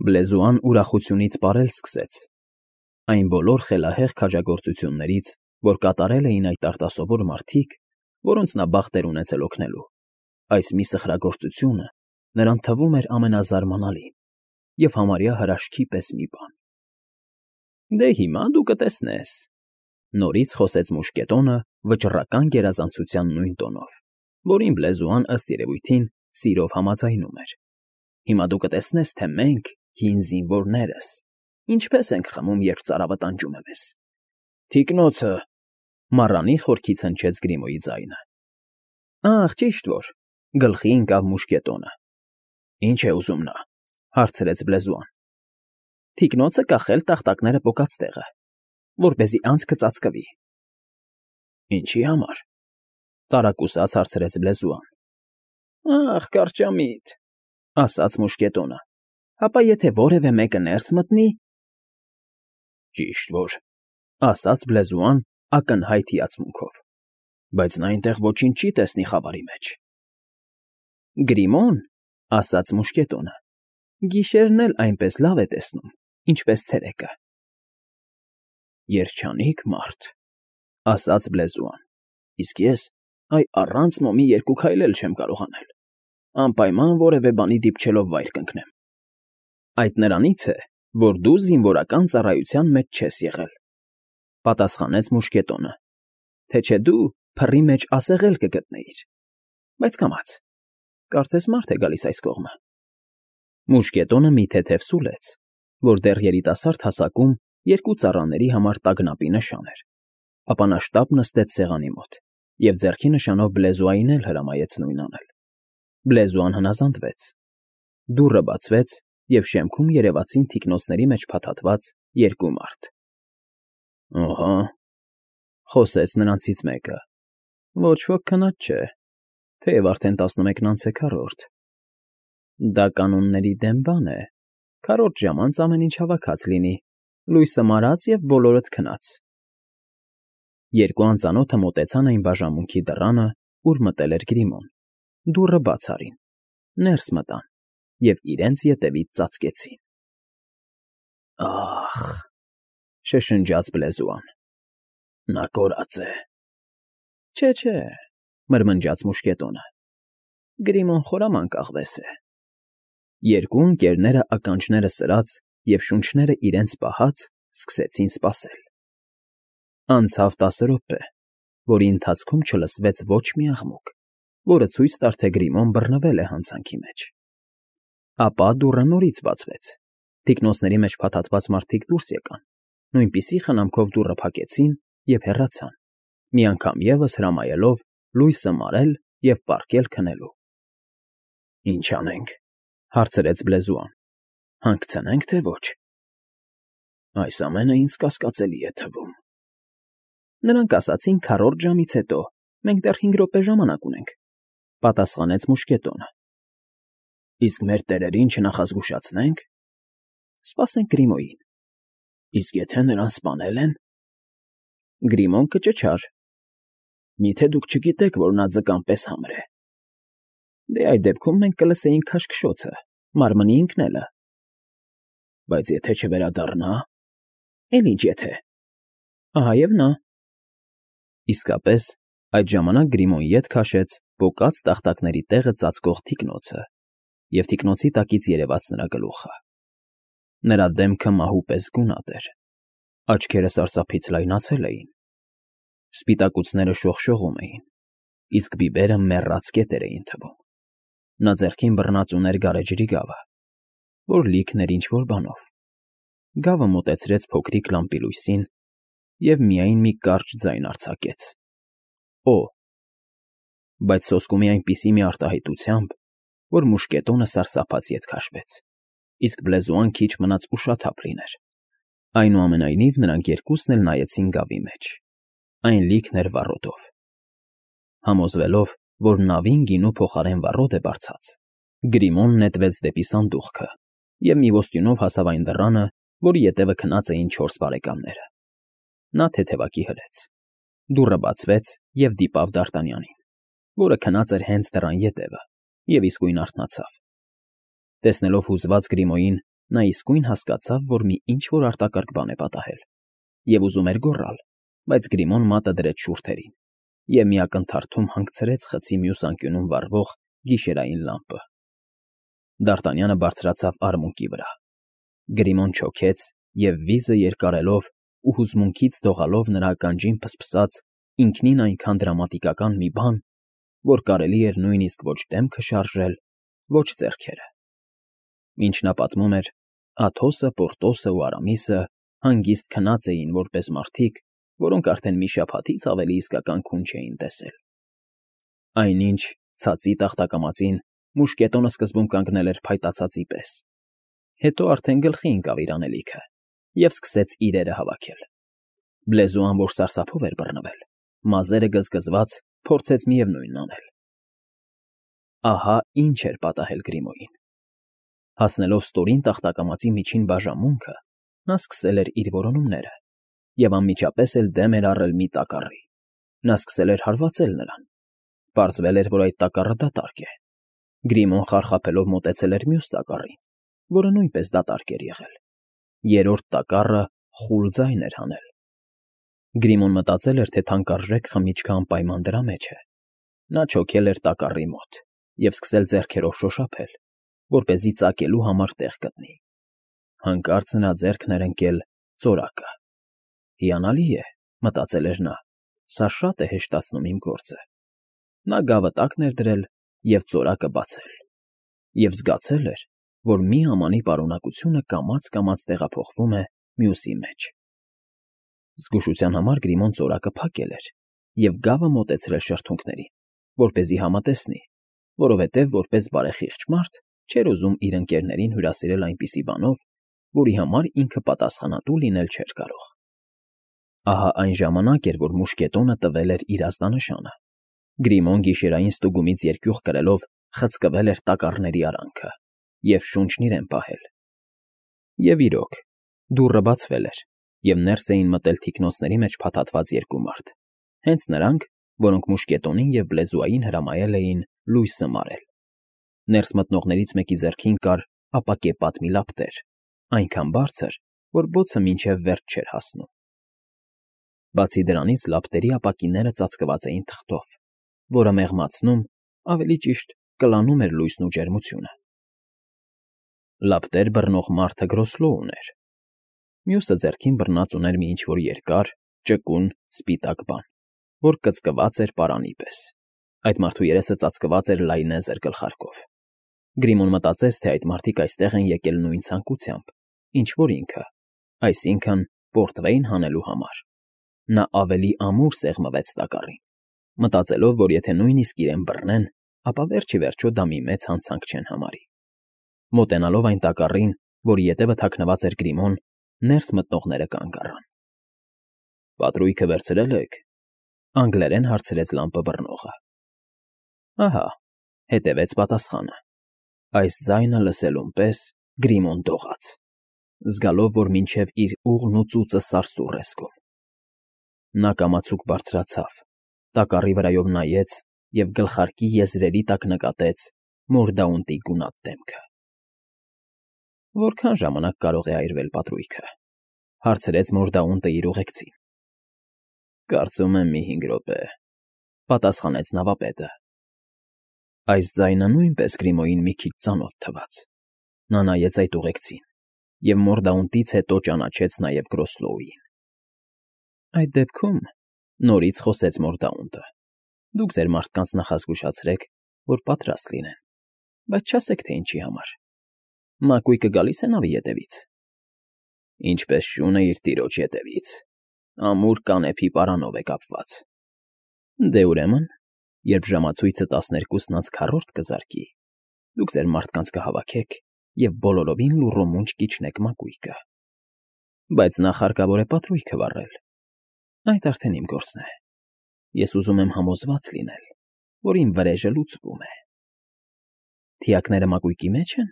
Բլեզուան ուրախությունից պարել սկսեց։ Այն բոլոր խելահեղ քաջագործություններից, որ կատարել էին այդ արտասովոր մարդիկ, որոնց նա բախտ էր ունեցել օգնելու, այս մի սխրագործությունը նրան թվում էր ամենազարմանալին և համարյա հրաշքի պես մի բան։ Դե հիմա դու կտեսնես,֊ նորից խոսեց մուշկետոնը վճռական գերազանցության նույն տոնով, որին Բլեզուան ըստ երևույթին սիրով համաձայնում էր։ Հիմա դու կտեսնես, թե մենք, հին զինվորներս, ինչպես ենք խմում, երբ ծարավը տանջում է մեզ։ Թիկնոցը,֊ մառանի խորքից հնչեց Գրիմոյի ձայնը։ Ախ, ճիշտ որ,֊ գլխի ընկավ մուշկետոնը։ Ինչ է ուզում նա,֊ հարցրեց Բլեզուան։ Թիկնոցը կախել տախտակները պոկած տեղը, որպեսզի անցքը ծածկվի։ Ինչի համար,֊ տարակուսած հարցրեց Բլեզուան։ Ախ, կարճամիտ,֊ ասաց մուշկետոնը։ Հապա եթե որևէ մեկը ներս մտնի… Ճիշտ որ,֊ ասաց Բլեզուան ակնհայտ հիացմունքով, բայց նա այնտեղ ոչինչ չի տեսնի խավարի մեջ։ Գրիմոն,֊ ասաց մուշկետոնը,֊ գիշերն էլ այնպես լավ է տեսնում, ինչպես ցերեկը։ Երջանիկ մարդ,֊ ասաց Բլեզուան, իսկ ես, այ առանց մոմի 2 քայլ էլ չեմ կարող անել, անպայման որևէ բանի դիպչելով վայր կընկնեմ։ Այդ նրանից է, որ դու զինվորական ծառայության մեջ չես եղել,֊ պատասխանեց մուշկետոնը, թե չէ դու փռի մեջ ասեղել կգտնեիր, բայց կամաց, կարծես մարդ է գալիս այս կողմը։ Մուշկետոնը մի թեթև սուլեց, որ դեռ երիտասարդ հասակում 2 ծառաների համար տագնապի նշան էր, ապա նա շտապ նստեց սեղանի մոտ և ձեռքի նշանով Բլեզուային էլ հրամայեց նույն անել։ Բլեզուան հնազանդվեց։ Դուռը բացվեց, և շեմքում երևացին թիկնոցների մեջ փաթաթված 2 մարդ։ Ահա,֊ խոսեց նրանցից մեկը,֊ ոչ ոք քնած չէ, թեև արդեն 11-ն անց է 4-րդ։ Դա կանոնների դեմ բան է, 4-րդ ժամանց ամեն ինչ հավաքած լինի, լույսը մարած և բոլորդ քնած։ 2 անծանոթը մոտեցան այն բաժանմունքի դռանը, ուր մտել էր Գրիմոն, դուռը բաց արին, ներս մտան և իրենց ետևից ծածկեցին։ Ախ,֊ շշնջաց Բլեզուան,֊ նա կորած է։ Չէ,֊ մրմնջաց մուշկետոնը, Գրիմոն խորամանկ աղվես է։ 2 ընկերները ականջները սրած և շունչները իրենց պահած սկսեցին սպասել։ Անցավ 10 րոպե, որի ընթացքում չլսվեց ոչ մի աղմուկ, որը ցույց տար, թե Գրիմոն բռնվել է հանցանքի մեջ։ Ապա դուռը նորից բացվեց, թիկնոցների մեջ փաթաթված մարդիկ դուրս եկան, նույնպիսի խնամքով դուռը փակեցին և հեռացան, մի անգամ ևս հրամայելով լույսը մարել և պառկել քնելու։ Ինչ անենք,֊ հարցրեց Բլեզուան, հանգցնե՞նք, թե ոչ։ Այս ամենը ինձ կասկածելի է թվում։ Նրանք ասացին 4-րդ ժամից հետո, մենք դեռ 5 րոպե ժամանակ ունենք,֊ պատասխանեց մուշկետոնը։ Իսկ մեր տերերին չնախազգուշացնե՞նք։ Սպասենք Գրիմոյին։ Իսկ եթե նրան սպանել են… Գրիմոն կճչար։ Միթե դուք չգիտեք, որ նա ձկան պես համր է։ Դե այդ դեպքում մենք կլսեինք քաշքշոցը, մարմնի ընկնելը։ Բայց եթե չվերադառնա… Էլ ինչ եթե… Ահա և նա… Իսկապես, այդ ժամանակ Գրիմոն ետ քաշեց պոկած տախտակների տեղը ծածկող թիկնոցը և թիկնոցի տակից երևաց նրա գլուխը։ Նրա դեմքը մահու պես գունատ էր, աչքերը սարսափից լայնացել էին, սպիտակուցները շողշողում էին, իսկ բիբերը մեռած կետեր էին թվում։ Նա ձեռքին բռնած ուներ գարեջրի գավը, որ լիքն էր ինչ֊որ բանով։ Գավը մոտեցրեց փոքրիկ լամպի լույսին և միայն մի կարճ ձայն արձակեց. Օ՜։ Բայց սոսկումի այնպիսի մի արտահայտությամբ, որ մուշկետոնը սարսափած ետ քաշվեց, իսկ Բլեզուան քիչ մնաց ուշաթափ լիներ։ Այնուամենայնիվ նրանք երկուսն էլ նայեցին գավի մեջ. այն լիքն էր վառոդով։ Համոզվելով, որ նավին գինու փոխարեն վառոդ է բարձած, Գրիմոն նետվեց դեպի սանդուղքը և մի ոստյունով հասավ այն դռանը, որի ետևը քնած էին 4 բարեկամները։ Նա թեթևակի հրեց։ Դուռը բացվեց և դիպավ Դարտանյանին, որը քնած էր հենց դռան ետևը և իսկույն արթնացավ։ Տեսնելով հուզված Գրիմոյին, նա իսկույն հասկացավ, որ մի ինչ-որ արտակարգ բան է պատահել, և ուզում էր գոռալ, բայց Գրիմոն մատը դրեց շուրթերին և մի ակնթարթում հանգցրեց խցի մյուս անկյունում վառվող գիշերային լամպը։ Դ'Արտանյանը բարձրացավ արմունկի վրա։ Գրիմոն չոքեց և վիզը երկարելով ու հուզմունքից դողալով նրա ականջին փսփսաց ինքնին այնքան դրամատիկական մի բան, որ կարելի էր նույնիսկ ոչ դեմքը շարժել, ոչ ձեռքերը։ Ինչ նա պատմում էր, Աթոսը, Պորտոսը ու Արամիսը հանգիստ քնած էին որպես մարդիկ, որոնք արդեն մի շաբաթից ավելի իսկական քուն չէին տեսել։ Այնինչ ցածի տախտակամածին մուշկետոնը սկզբում կանգնել էր փայտացածի պես, հետո արդեն գլխի ընկավ իր անելիքը և սկսեց իրերը հավաքել։ Բլեզուան, որ սարսափով էր բռնվել, մազերը գզգզված, փորձեց միևնույնն անել։ Ահա ինչ էր պատահել Գրիմոյին։ Հասնելով ստորին տախտակամածի միջին բաժանմունքը, նա սկսել էր իր որոնումները և անմիջապես էլ դեմ էր առել մի տակառի։ Նա սկսել էր հարվածել նրան։ Պարզվել էր, որ այդ տակառը դատարկ է։ Գրիմոն խարխափելով մոտեցել էր մյուս տակառին, որը նույնպես դատարկ էր եղել։ Երրորդ տակառը խուլ ձայն էր հանել։ Գրիմոն մտածել էր, թե թանկարժեք խմիչքը անպայման դրա մեջ է։ Նա չոքել էր տակառի մոտ և սկսել ձեռքերով շոշափել, որպեսզի ծակելու համար տեղ գտնի։ Հանկարծ նրա ձեռքն էր ընկել ծորակը։ «Հիանալի է», մտածել էր նա, «սա շատ է հեշտացնում իմ գործը»։ Նա գավը տակն էր դրել և ծորակը բացել։ Եվ զգացել էր, որ մի ամանի պարունակությունը կամաց֊կամաց տեղափոխվում է մյուսի մեջ։ Զգուշության համար Գրիմոն ծորակը փակել էր և գավը մոտեցրել շրթունքներին, որպեսզի համատեսնի, որովհետև որպես բարեխիղճ մարդ չէր ուզում իր ընկերներին հյուրասիրել այնպիսի բանով, որի համար ինքը պատասխանատու լինել չէր կարող։ Ահա այն ժամանակ էր, որ մուշկետոնը տվել էր իր ազդանշանը։ Գրիմոն գիշերային ստուգումից երկյուղ կրելով խցկվել էր տակառների արանքը և շունչն իրեն պահել։ Եվ իրոք, դուռը բացվել էր, և ներս էին մտել թիկնոնցների մեջ փաթաթված երկու մարդ, հենց նրանք, որոնք մուշկետոնին և Բլեզուային հրամայել էին լույսը մարել։ Ներս մտնողներից մեկի ձեռքին կար ապակեպատ մի լապտեր, այնքան բարձր, որ բոցը մինչև վերջ չէր հասնում։ Բացի դրանից լապտերի ապակիները ծածկված էին թղթով, որը մեղմացնում, ավելի ճիշտ կլանում էր լույսն ու ջերմությունը։ Լապտեր բռնող մարդը Գրոսլոուն ուներ։ Մյուսը ձեռքին բռնած ուներ մի ինչ֊որ երկար, ճկուն, սպիտակ բան, որ կծկված էր պարանի պես։ Այդ մարդու երեսը ծածկված էր լայնեզր գլխարկով։ Գրիմոն մտածեց, թե այդ մարդիկ այստեղ են եկել նույն ցանկությամբ, ինչ որ ինքը, այսինքն պորտվեյն հանելու համար։ Նա ավելի ամուր սեղմվեց տակառին, մտածելով, որ եթե նույնիսկ իրեն բռնեն, ապա վերջ-ի-վերջո դա մի մեծ հանցանք չեն համարի։ Մոտենալով այն տակառին, որի ետևը թաքնված էր Գրիմոն, ներս մտնողները կանգ առան։ «Պատրույգը վերցրել եք», անգլերեն հարցրեց լամպը բռնողը։ Ահա, հետևեց պատասխանը։ Այս ձայնը լսելուն պես Գրիմոն դողաց, զգալով, որ մինչև իր ուղն ու ծուծը սարսուռ է զգում։ Նա կամացուկ բարձրացավ, տակառի վրայով նայեց և գլխարկի եզրերի տակ նկատեց Մորդաունտի գունատ դեմքը։ «Որքան ժամանակ կարող է այրվել պատրույգը», հարցրեց Մորդաունտը իր ուղեկցին։ «Կարծում եմ մի 5 րոպե», պատասխանեց նավապետը։ Այս ձայնը նույնպես Գրիմոյին մի քիչ ծանոթ թվաց։ Նա նայեց այդ ուղեկցին և Մորդաունտից հետո ճանաչեց նաև Գրոսլոուին։ «Այդ դեպքում,֊ նորից խոսեց Մորդաունտը,֊ դուք ձեր մարդկանց նախազգուշացրեք, որ պատրաստ լինեն, բայց չասեք, թե ինչի համար։ Մակույկը գալի՞ս է նավի ետևից»։ «Ինչպես շունը իր տիրոջ ետևից, ամուր կանեփի պարանով է կապված»։ «Դե ուրեմն, երբ ժամացույցը 12:4 կզարկի, դուք ձեր մարդկանց կհավաքեք և բոլորովին լուռումունջ կիջնեք մակույկը։ Բայց նախ հարկավոր է պատրույգը վառել։ Այդ արդեն իմ գործն է։ Ես ուզում եմ համոզված լինել, որ իմ վրեժը լուծվում է։ Թիակները մակույկի մեջ են։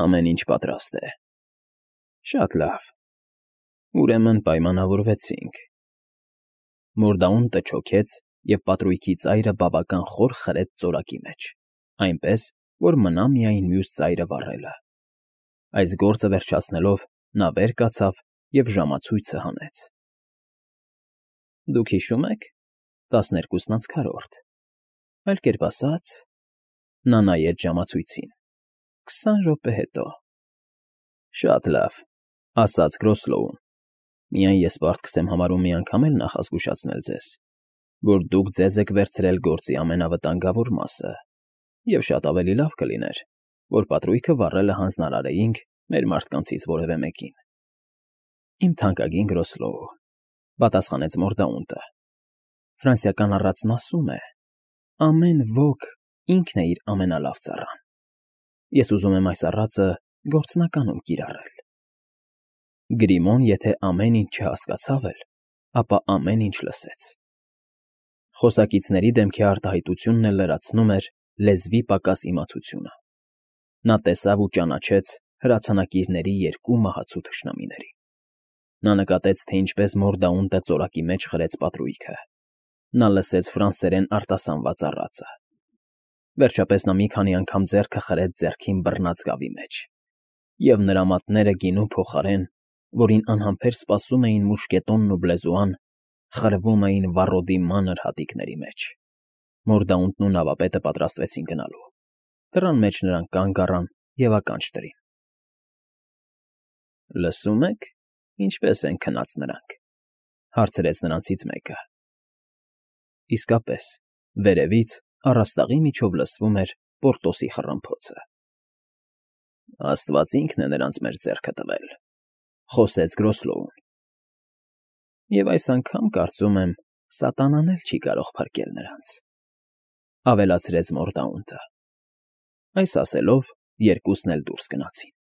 Ամեն ինչ պատրաստ է։ Շատ լավ։ Ուրեմն պայմանավորվեցինք։ Մորդաունտը չոքեց և պատրույգի ծայրը բավական խոր խրեց ծորակի մեջ, այնպես, որ մնա միայն մյուս ծայրը վառելը։ Այս գործը վերջացնելով նա վեր կացավ և ժամացույցը հանեց։ Դուք հիշո՞ւմ եք, 12:4, այլ կերպ ասած, նա նայեց ժամացույցին, 20 րոպե հետո։ Շատ լավ, ասաց Գրոսլոուն, միայն ես պարտք եմ համարում մի անգամ էլ նախազգուշացնել ձեզ, որ դուք ձեզ եք վերցրել գործի ամենավտանգավոր մասը, և շատ ավելի լավ կլիներ, որ պատրույգը վառելը հանձնարարեինք մեր մարդկանցից որևէ մեկին։ Իմ թանկագին Գրոսլոու, պատասխանեց Մորդաունտը, ֆրանսիական առածն ասում է. ամեն ոք ինքն է իր ամենալավ ծառան։ Ես ուզում եմ այս առածը գործնականում կիրառել։ Գրիմոն, եթե ամեն ինչ չհասկացավ էլ, ապա ամեն ինչ լսեց։ Խոսակիցների դեմքի արտահայտությունն էլ լրացնում էր լեզվի պակաս իմացությունը։ Նա տեսավ ու ճանաչեց հրացանակիրների երկու մահացու թշնամիներին։ Նա նկատեց, թե ինչպես Մորդաունտը ծորակի մեջ խրեց պատրույգը։ Նա լսեց ֆրանսերեն արտասանված առածը։ Վերջապես նա մի քանի անգամ ձեռքը խրեց ձեռքին բռնած գավի մեջ, և նրա մատները գինու փոխարեն, որին անհամբեր սպասում էին մուշկետոնն ու բլեզուան, խրվում էին վառոդի մանր հատիկների մեջ։ Մորդաունտն ու նավապետը պատրաստվեցին գնալու։ Դռան մեջ նրանք կանգ առան և ականջ դրին։ Լսո՞ւմ եք, ինչպես են քնած նրանք,֊ հարցրեց նրանցից մեկը։ Իսկապես, վերևից առաստաղի միջով լսվում էր Պորտոսի խռմփոցը։ Աստված ինքն է նրանց մեր ձեռքը տվել,֊ խոսեց Գրոսլոուն։ Եվ այս անգամ, կարծում եմ, սատանան էլ չի կարող փրկել նրանց,֊ ավելացրեց Մորդաունտը։ Այս ասելով, երկուսն էլ դուրս գնացին։